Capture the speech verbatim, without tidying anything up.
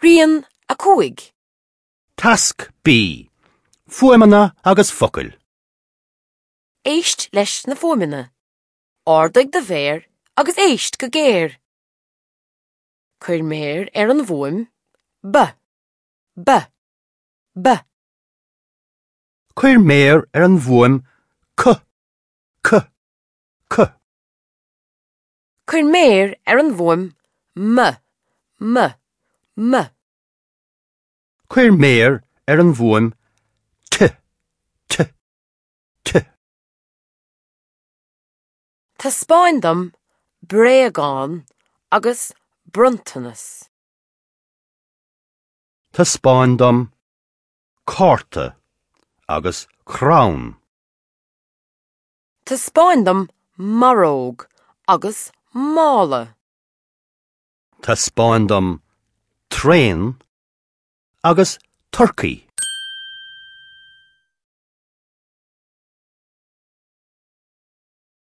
Rian a cúig. Tasc B. Fuaimeanna agus focail. Éist leis na fuaimeanna. Ardaigh do mhéar agus éist go géar. Cuir méar ar an bhfuaim B. B. B. Cuir méar ar an bhfuaim C. C. C. Cuir méar ar an bhfuaim M. M. M. Cuir méar ar an bhfuaim T. T. T. Taispeáin dom bréagán agus bronntanas. Taispeáin dom cárta agus crann. Taispeáin dom maróg agus mála. Taispeáin dom traein agus turcaí.